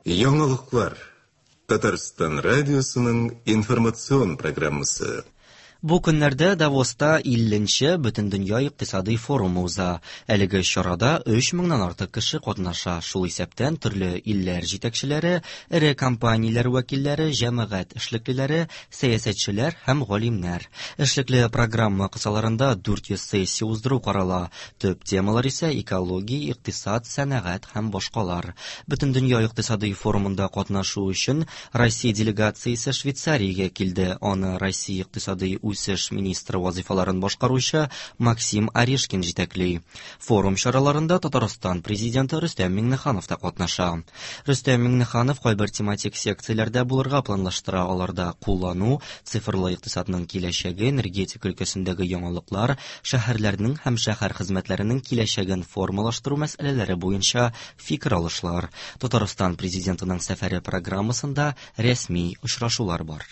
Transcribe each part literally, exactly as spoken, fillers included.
Яңалыклар. Татарстан радиосының информацион программасы. Бу көннәрдә Давоста илленче Бөтендөнья икътисадый форумы уза. Әлеге чарада өч меңнән артык кеше катнаша. Шул исәптән төрле илләр җитәкчеләре, эре компанияләр вәкилләре, җәмәгать эшлеклеләре, сәясәтчеләр һәм галимнәр. Эшлекле программа кысаларында дүрт йөз сессия уздыру карала. Төп темалар исә экология, икътисад, сәнәгать һәм башкалар. Бөтендөнья икътисадый форумында катнашу өчен Россия делегациясе Швейцариягә килде. Аны Россия икътисадый үсеш министры вазифаларын башкаручы Максим Орешкин җитәкли. Форум чараларында Татарстан президенты Рөстәм Миңнеханов та катнаша. Рөстәм Миңнеханов кайбер тематик секцияләрдә булырга планлаштыра. Аларда куллану, цифрлы икътисадның киләчәге, энергетика өлкәсендәге яңалыклар, шәһәрләрнең һәм шәһәр хезмәтләренең киләчәген формалаштыру мәсьәләләре буенча фикер алышлар. Татарстан президентының сәфәре программасында рәсми очрашулар бар.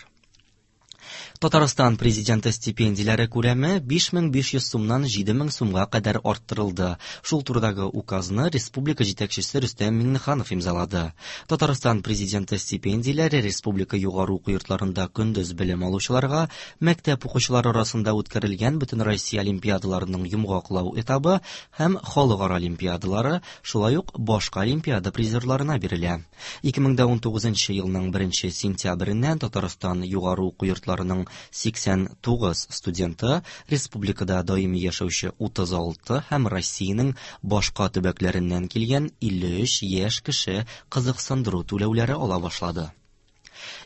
Татарстан президенты стипендияләре күләме биш мең биш йөз сумнан җиде мең сумга кадәр арттырылды. Шул турыдагы указны республика җитәкчесе Рөстәм Миңнеханов имзалады. Татарстан президенты стипендияләре республика югары уку йортларында көндез белем алучыларга, мәктәп укучылары арасында үткәрелгән Бөтенроссия олимпиадаларының йомгаклау этабы һәм халыкара олимпиадалары, шулай ук башка олимпиада призерларына бирелә. Ике мең дә унтугызынчы елның беренче сентябреннән Татарстан югары уку йортларының сиксән тугыз студенты, республикада даими яшәүче утыз алты һәм Россиянең башка төбәкләреннән килгән илле өч яшь кеше кызыксындыру түләүләре ала башлады.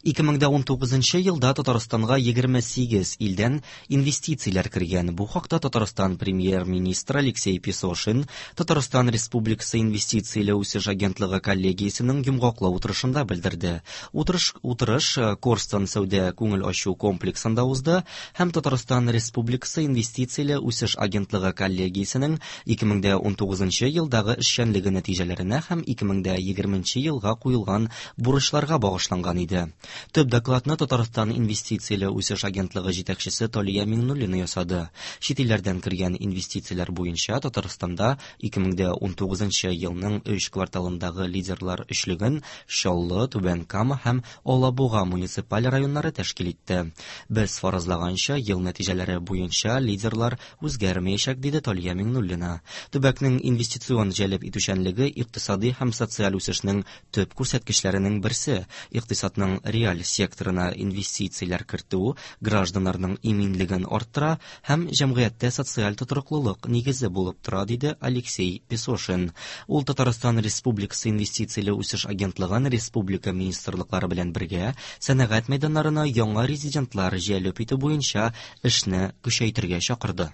Ике мең дә унтугызынчы елда Татарстанга егерме сигез илдән инвестицияләр кергән. Бу хакта Татарстан премьер-министры Алексей Песошин Татарстан Республикасы инвестицияле үсеш агентлыгы коллегиясенең йомгаклау утырышында белдерде. Утырыш, утырыш Корстон сәүдә күңел ачу комплексында узды һәм Татарстан Республикасы инвестицияле үсеш агентлыгы коллегиясенең ике мең дә унтугызынчы елдагы эшчәнлеге нәтиҗәләренә һәм ике мең дә егерменче елга куелган бурычларга багышланган иде. Төп докладны Татарстан инвестицияле үсеш агентлыгы җитәкчесе Талия Миңнуллина ясады. Чит илләрдән кергән инвестицияләр буенча Татарстанда ике мең дә унтугызынчы елның өч кварталындагы лидерлар өчлеген Чаллы, Түбән Кама һәм Алабуга муниципаль районнары тәшкил итте. Без фаразлаганча, ел нәтиҗәләре буенча лидерлар үзгәрмәячәк, диде Талия Миңнуллина. Төбәкнең инвестицион җәлеп итүчәнлеге икътисади һәм социаль үсешнең төп күрсәткечләренең берсе. Икътисадның реаль секторына инвестицияләр кертү гражданнарның иминлеген арттыра һәм җәмгыятьтә социаль тотрыклылык нигезе булып тора, диде Алексей Песошин. Ул Татарстан Республикасы инвестицияле үсеш агентлыгын республика министрлыклары белән бергә сәнәгать мәйданнарына яңа резидентлар җәлеп итү буенча эшне көчәйтергә чакырды.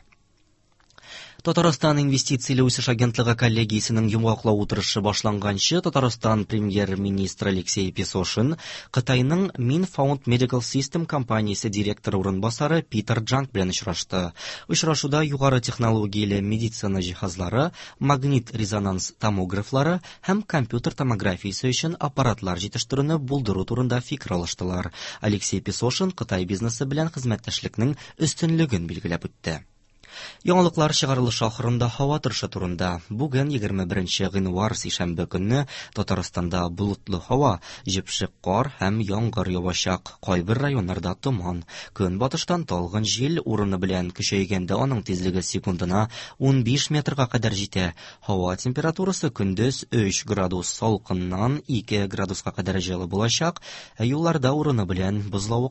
Татарстан инвестицияле үсеш агентлыгы коллегиясенең йомгаклау утырышы башланганчы Татарстан премьер-министры Алексей Песошин Кытайның Minfound Medical System компаниясе директоры урынбасары Питер Джанг белән очрашты. Очрашуда югары технологияле медицина җиһазлары, магнит-резонанс томографлары һәм компьютер томографиясе өчен аппаратлар җитештерүне булдыру турында фикер алыштылар. Алексей Песошин Кытай бизнесы белән хезмәттәшлекнең өстенлеген билгеләп үтте. Яңалыклар чыгарылышы ахырында һава торышы турында. Бүген егерме беренче гыйнвар сишәмбе көнне Татарстанда болытлы һава, җепшек кар һәм яңгыр явачак. Кайбер районнарда томан. Көнбатыштан талгын җил урыны белән көчәйгәндә аның тизлеге секундына унбиш метрга кадәр җитә. Һава температурасы көндез өч градус салкыннан ике градуска кадәр җылы булачак, ә юлларда урыны белән бозлавык